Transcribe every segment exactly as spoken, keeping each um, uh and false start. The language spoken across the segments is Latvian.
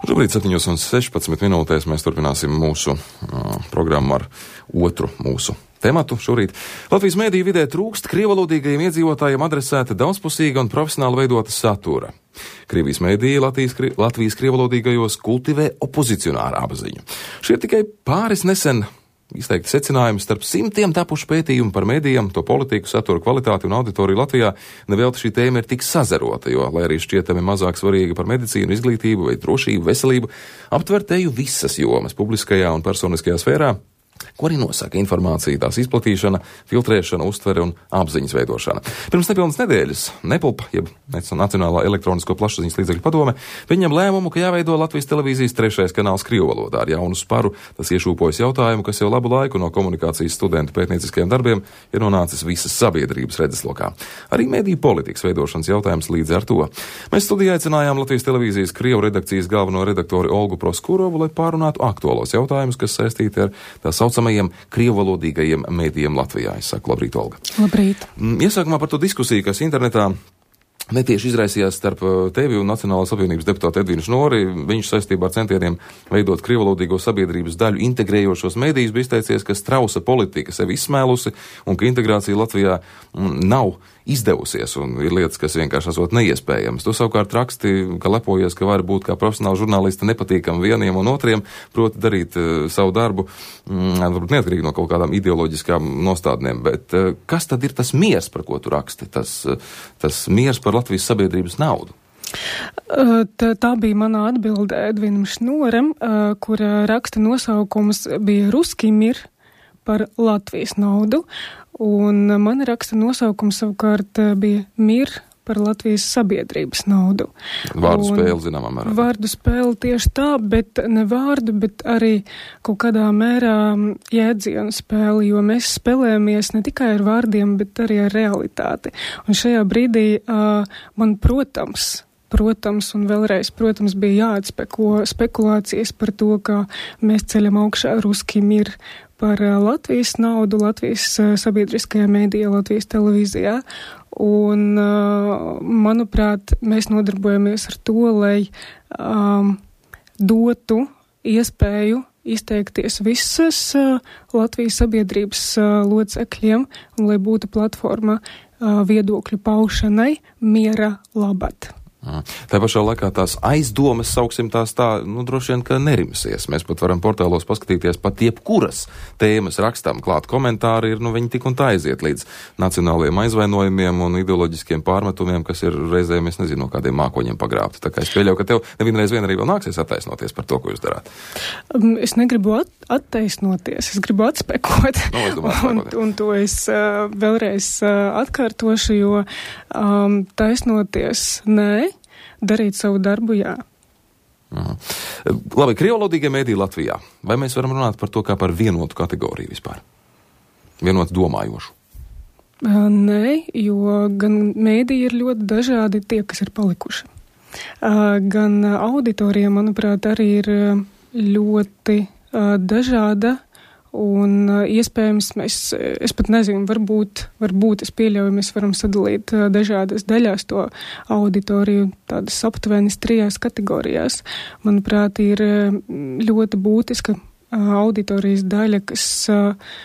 Šobrīd septiņos un sešpadsmit minūtēs mēs turpināsim mūsu uh, programmu ar otru mūsu tematu šorīt. Latvijas mēdīju vidē trūkst krievalodīgajiem iedzīvotājiem adresēta daudzpusīga un profesionāli veidota satura. Krievijas mēdīja Latvijas, Latvijas krievalodīgajos kultivē opozicionāru apziņu. Šie ir tikai pāris nesen izteikti secinājumi starp simtiem tapušu pētījumu par mēdījiem, to politiku, satura kvalitāti un auditoriju Latvijā. Nevelti šī tēma ir tik sazarota, jo, lai arī šķietami mazāk svarīga par medicīnu, izglītību vai drošību, veselību, aptver teju visas jomas publiskajā un personiskajā sfērā, ko arī nosaka informācija, tās izplatīšana, filtrēšana, uztvere un apziņas veidošana. Pirms nepilnas nedēļas Nepulpa, jeb Nacionālā elektronisko plašsaziņas līdzekļu padome, pieņem lēmumu, ka jāveido Latvijas televīzijas trešais kanāls krievu valodā. Ar jaunu sparu tas iešūpojas jautājumu, kas jau labu laiku no komunikācijas studentu pētnieciskajiem darbiem ir nonācis visas sabiedrības redzeslokā. Arī mediju politikas veidošanas jautājums līdz ar to. Mēs studijā aicinājām Latvijas televīzijas krievu redakcijas galveno redaktori Olgu Proskurovu, lai pārunātu aktuālos jautājumus, kas saistīti ar tā saucamajiem krievalodīgajiem mēdījiem Latvijā. Es saku, labrīt, Olga. Labrīt. Iesākumā par to diskusiju, kas internetā netieši izraisījās starp tevi un Nacionālās apvienības deputātu Edvinu Šnori. Viņš saistībā ar centieniem veidot krievalodīgo sabiedrības daļu integrējošos mēdījus bija izteicies, ka strausa politika sevi izsmēlusi un ka integrācija Latvijā nav izdevusies un ir lietas, kas vienkārši esot neiespējamas. Tu savukārt raksti, ka lepojies, ka var būt kā profesionāli žurnālisti nepatīkam vieniem un otriem, proti darīt uh, savu darbu, mm, varbūt neatkarīgi no kaut kādām ideoloģiskām nostādnēm, bet uh, kas tad ir tas miers, par ko tu raksti, tas, uh, tas miers par Latvijas sabiedrības naudu? Tā, tā bija mana atbilde Edvinam Šnoram, uh, kura raksta nosaukums bija Ruski mir par Latvijas naudu, un mana raksta nosaukums savukārt bija Mir par Latvijas sabiedrības naudu. Vārdu spēle, zināmā mērā. Vārdu spēle tieši tā, bet ne vārdu, bet arī kaut kādā mērā jēdzienu spēli, jo mēs spēlējamies ne tikai ar vārdiem, bet arī ar realitāti. Un šajā brīdī uh, man, protams, Protams, un vēlreiz, protams, bija jāatspeko spekulācijas par to, ka mēs ceļam augšā Ruski mir par Latvijas naudu, Latvijas sabiedriskajā mēdījā, Latvijas televīzijā. Un, manuprāt, mēs nodarbojamies ar to, lai um, dotu iespēju izteikties visas uh, Latvijas sabiedrības uh, locekļiem, un lai būtu platforma uh, viedokļu paušanai miera labad. Tā pašā laikā tās aizdomas, sauksim tās tā, nu, droši vien, ka nerimsies. Mēs pat varam portālos paskatīties pat jebkuras tēmas rakstām klāt komentāri, ir, nu, viņi tik un tā aiziet līdz nacionāliem aizvainojumiem un ideoloģiskiem pārmetumiem, kas ir reizēm, es nezinu, no kādiem mākoņiem pagrābti. Tā kā es pieļauju, ka tev nevienreiz vien arī vēl nāksies attaisnoties par to, ko jūs darāt. Es negribu at attaisnoties, es gribu atspekot. No, es domāju, un, un to es uh, vēlreiz uh, atkārtošu, jo um, taisnoties nē, darīt savu darbu, jā. Aha. Labi, krievalodīgie mēdīji Latvijā. Vai mēs varam runāt par to kā par vienotu kategoriju vispār? Vienotu domājošu? Uh, nē, jo gan mēdīji ir ļoti dažādi tie, kas ir palikuši. Uh, gan auditorija, manuprāt, arī ir ļoti uh, dažāda. Un uh, iespējams, mēs, es pat nezinu, varbūt, varbūt es pieļauju, mēs varam sadalīt uh, dažādas daļās to auditoriju, tādas aptuvenis trijās kategorijās. Manuprāt, ir uh, ļoti būtiska uh, auditorijas daļa, kas, uh,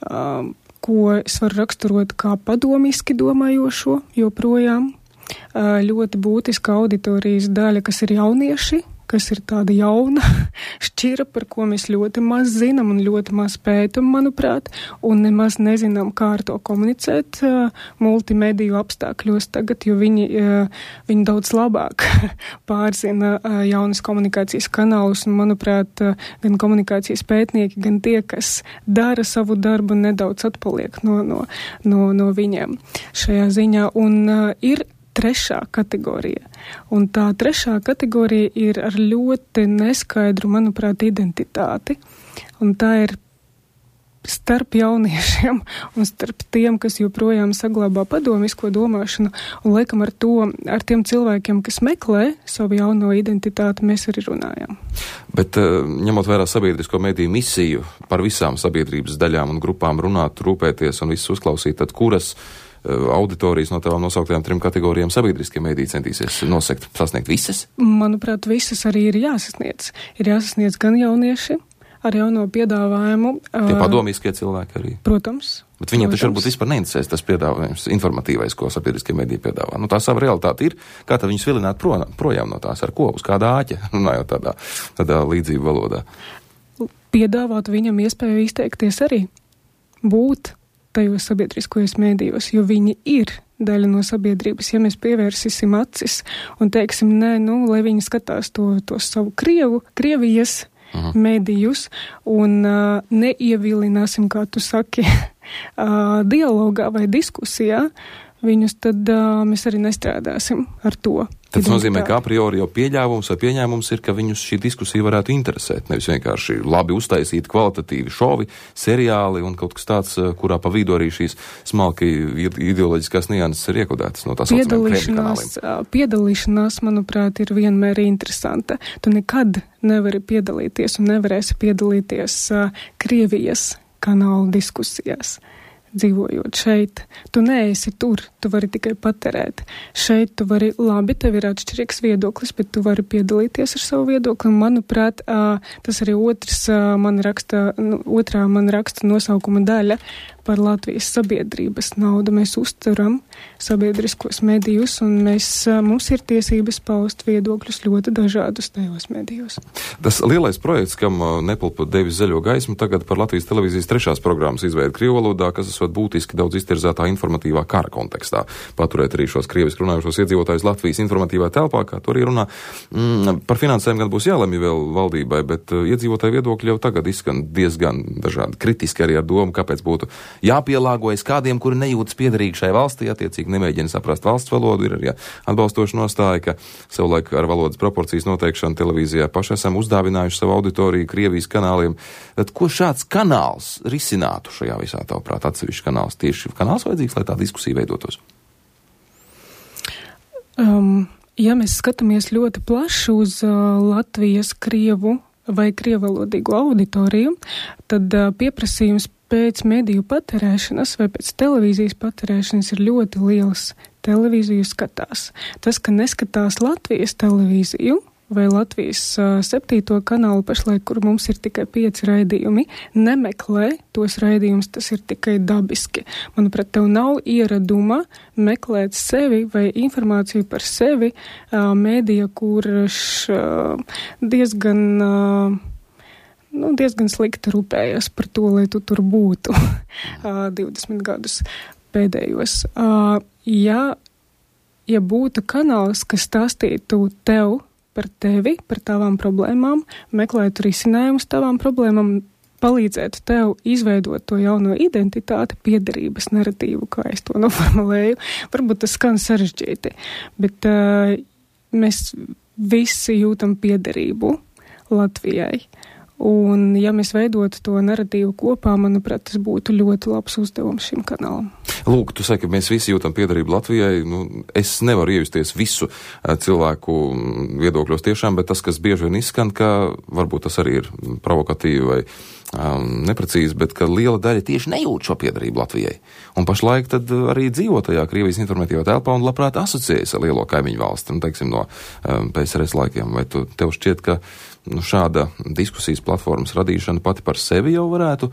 uh, ko es varu raksturot kā padomiski domājošo joprojām. Uh, ļoti būtiska auditorijas daļa, kas ir jaunieši, kas ir tāda jauna šķira, par ko mēs ļoti maz zinām un ļoti maz pētam, manuprāt, un nemaz nezinām, kā ar to komunicēt uh, multimediju apstākļos tagad, jo viņi, uh, viņi daudz labāk pārzina uh, jaunas komunikācijas kanālus, un, manuprāt, uh, gan komunikācijas pētnieki, gan tie, kas dara savu darbu, nedaudz atpaliek no, no, no, no viņiem šajā ziņā, un uh, ir trešā kategorija. Un tā trešā kategorija ir ar ļoti neskaidru, manuprāt, identitāti. Un tā ir starp jauniešiem un starp tiem, kas joprojām saglabā padomisko domāšanu. Un, laikam, ar to, ar tiem cilvēkiem, kas meklē savu jauno identitāti, mēs arī runājam. Bet, ņemot vērā sabiedrisko mediju misiju par visām sabiedrības daļām un grupām runāt, rūpēties un visus uzklausīt, tad kuras auditorijas no tavām nosauktajām trim kategorijām sabiedriskie mēdī centīsies nosekt, sasniegt visas? Manuprāt, visas arī ir jāsasniedz. Ir jāsasniedz gan jaunieši ar jauno piedāvājumu. Tie padomīskie cilvēki arī. Protams. Bet viņiem protams. taču varbūt vispār neinteresēs tas piedāvājums, informatīvais, ko sabiedriskie mediji piedāvā. Nu, tā sava realitāte ir, kā tad viņus vilināt pro, projām no tās, ar ko, uz kādā āķa, runājot tādā, tādā līdzību valodā. Piedāvāt viņam iespēju izteikties arī, būt tajos sabiedriskajos mēdījos, jo viņi ir daļa no sabiedrības. Ja mēs pievērsīsim acis un teiksim, nē, nu, lai viņi skatās to, to savu Krievu, Krievijas uh-huh. mēdījus un uh, neievilināsim, kā tu saki, uh, dialogā vai diskusijā, viņus tad uh, mēs arī nestrādāsim ar to. Tas nozīmē, ka a priori jau pieļāvums vai pieņēmums ir, ka viņus šī diskusija varētu interesēt. Nevis vienkārši labi uztaisīti kvalitatīvi šovi, seriāli un kaut kas tāds, kurā pa vidu arī šīs smalki ideoloģiskās nianses ir iekodētas no tās saucamajiem kanāliem. Piedalīšanās, manuprāt, ir vienmēr interesanta. Tu nekad nevari piedalīties un nevarēsi piedalīties uh, Krievijas kanālu diskusijās. Dzīvojot šeit, tu neesi tur, tu vari tikai patērēt. Šeit tu vari, labi, tev ir atšķirīgs viedoklis, bet tu vari piedalīties ar savu viedokli. Manuprāt, tas arī otrs man raksta, otrā man raksta nosaukuma daļa par Latvijas sabiedrības naudu. Mēs uzturam sabiedriskos medijus un mēs, mums ir tiesības paust viedokļus ļoti dažādus tajos medijos. Tas lielais projekts, kam Nepulpa devis zaļo gaismu, tagad par Latvijas televīzijas trešās programmas izveidi krievu valodā, kas esot būtiski daudz iztirzētā informatīvā kara kontekstā. Paturēt arī šos krieviski runājušos iedzīvotājus Latvijas informatīvā telpā, kā tur arī runā. Mm, par finansēm gan būs jālemj vēl valdībai, bet iedzīvotāju viedokļi jau tagad izskan diezgan dažādi. Kritiski arī ar domu, kāpēc būtu jāpielāgojas kādiem, kuri nejūtas piederīgi šai valstī, attiecīgi nemēģina saprast valsts valodu, ir arī atbalstoša nostāja, ka savulaik ar valodas proporcijas noteikšanu televīzijā paši esam uzdāvinājuši savu auditoriju Krievijas kanāliem. Tad ko šāds kanāls risinātu šajā visā tavuprāt, atsevišķi kanāls? Tieši kanāls vajadzīgs, lai tā diskusija veidotos? Um, ja mēs skatāmies ļoti plaši uz uh, Latvijas krievu vai krievalodīgu auditoriju, tad uh, pieprasījums pēc mediju patērēšanas vai pēc televīzijas patērēšanas ir ļoti liels. Televīziju skatās. Tas, ka neskatās Latvijas televīziju vai Latvijas uh, septīto kanālu pašlaik, kur mums ir tikai pieci raidījumi, nemeklē tos raidījumus, tas ir tikai dabiski. Manuprāt, tev nav ieraduma meklēt sevi vai informāciju par sevi uh, mēdija, kurš uh, diezgan... Uh, Nu, diezgan slikti rūpējas par to, lai tu tur būtu uh, divdesmit gadus pēdējos. Uh, ja, ja būtu kanāls, kas stāstītu tev par tevi, par tavām problēmām, meklētu risinājumus tavām problēmām, palīdzētu tev izveidot to jauno identitāti, piederības naratīvu, kā es to noformulēju, varbūt tas skan sarežģīti, bet uh, mēs visi jūtam piederību Latvijai. Un, ja mēs veidotu to naratīvu kopā, manuprāt, tas būtu ļoti labs uzdevums šim kanālam. Lūk, tu saki, ka mēs visi jūtam piederību Latvijai. Nu, es nevaru iejusties visu cilvēku viedokļos tiešām, bet tas, kas bieži vien izskan, ka varbūt tas arī ir provokatīvi vai um, neprecīzi, bet ka liela daļa tieši nejūt šo piederību Latvijai. Un pašlaik tad arī dzīvo tajā Krievijas informatīvā telpā un labprāt asociējas ar lielo kaimiņu valsti, nu, teiksim, no um, P S R S laikiem. Vai tu, tev šķiet, ka nu, šāda diskusijas platformas radīšana pati par sevi jau varētu,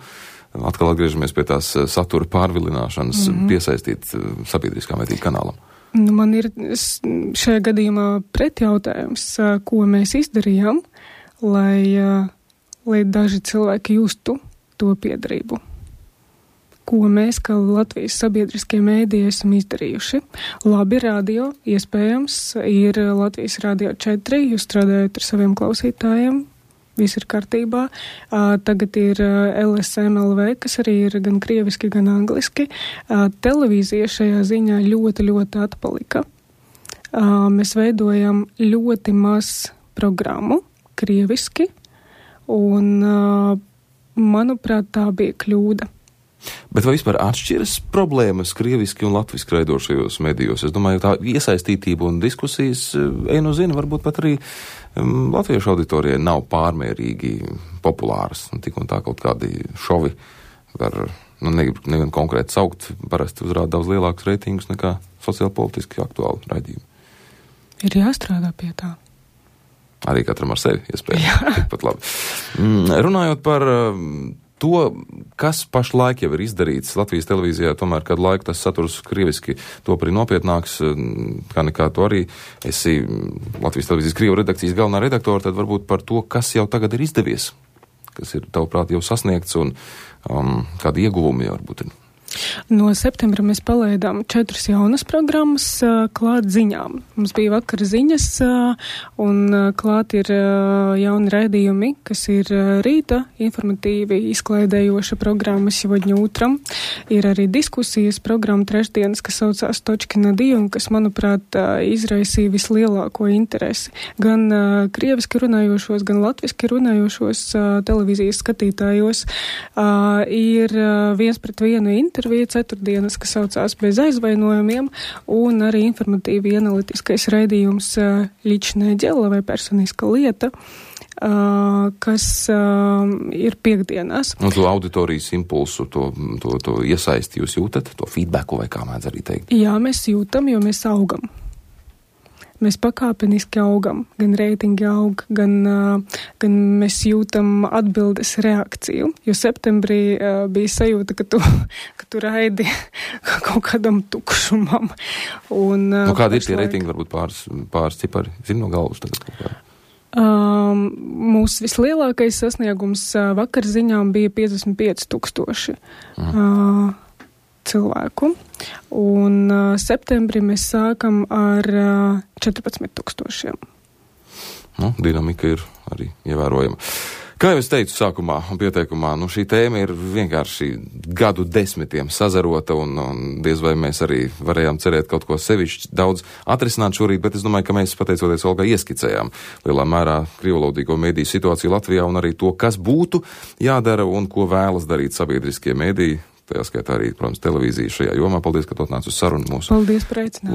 atkal atgriežamies pie tās satura pārvilināšanas, mm-hmm. piesaistīt sabiedriskā mediju kanālam? Nu, man ir šajā gadījumā pretjautājums, ko mēs izdarījām, lai, lai daži cilvēki justu to piederību. Ko mēs, kā Latvijas sabiedriskie mēdīji, esam izdarījuši. Labi, radio, iespējams, ir Latvijas radio četri, jūs strādājat ar saviem klausītājiem, viss ir kārtībā. Uh, tagad ir uh, L S M L V, kas arī ir gan krieviski, gan angliski. Uh, televīzija šajā ziņā ļoti, ļoti atpalika. Uh, mēs veidojam ļoti maz programmu krieviski, un, uh, manuprāt, tā bija kļūda. Bet vai vispār atšķiras problēmas krieviski un latviski raidošajos medijos? Es domāju, tā iesaistītība un diskusijas, ej nu zina, varbūt pat arī um, latviešu auditorijai nav pārmērīgi populāras. Un tik un tā kaut kādi šovi var nu, negribu konkrēti saukt, parasti uzrāda daudz lielākus reitingus nekā sociāli politiski aktuāli raidījumi. Ir jāstrādā pie tā. Arī katram ar sevi iespējams. Tikpat labi. Mm, runājot par to, kas pašlaik jau ir izdarīts Latvijas televīzijā, tomēr kādu laiku tas saturs krieviski to arī nopietnāks, kā nekā to arī esi Latvijas televīzijas Krievu redakcijas galvenā redaktora, tad varbūt par to, kas jau tagad ir izdevies, kas ir tavuprāt jau sasniegts un um, kādi ieguvumi jau varbūt ir. No septembra mēs palaidām četras jaunas programmas uh, klāt ziņām. Mums bija vakar ziņas uh, un uh, klāt ir uh, jauni raidījumi, kas ir uh, rīta informatīvi izklaidējoša programma Сегодня утром. Ir arī diskusijas programma trešdienas, kas saucās Točki na di un kas, manuprāt, uh, izraisīja vislielāko interesi. Gan uh, krieviski runājošos, gan latviski runājošos uh, televīzijas skatītājos uh, ir uh, viens pret vienu interesi. Intervija ceturtdienas, kas saucās Bez aizvainojumiem, un arī informatīvi analitiskais raidījums Ličnē ģela vai personiska lieta, kas ir piekdienās. Un to auditorijas impulsu, to, to, to iesaisti jūs jūtat, to feedbacku vai kā mēdz arī teikt? Jā, mēs jūtam, jo mēs augam. Mēs pakāpeniski augam, gan reitingi aug, gan, uh, gan mēs jūtam atbildes reakciju, jo septembrī uh, bija sajūta, ka tu, ka tu raidi kaut kādam tukšumam. Un, uh, nu, kādi ir tie reitingi, varbūt pāris, pāris cipari, zinu no galvas tagad kaut kā? Um, mūsu vislielākais sasniegums uh, vakar ziņām bija piecdesmit pieci tūkstoši. Mm. Uh, cilvēku, un uh, septembrī mēs sākam ar uh, četrpadsmit tūkstošiem. Nu, dinamika ir arī ievērojama. Kā jau es teicu sākumā un pieteikumā, nu šī tēma ir vienkārši gadu desmitiem sazarota, un, un diez vai mēs arī varējām cerēt kaut ko sevišķi daudz atrisināt šorīt, bet es domāju, ka mēs, pateicoties Olgai, ieskicējām lielā mērā krievalodīgo mediju situāciju Latvijā un arī to, kas būtu jādara un ko vēlas darīt sabiedriskie mediji. Tajā skaitā arī, protams, televīzija šajā jomā. Paldies, ka tu atnāc uz sarunu mūsu. Paldies par aicināšanu.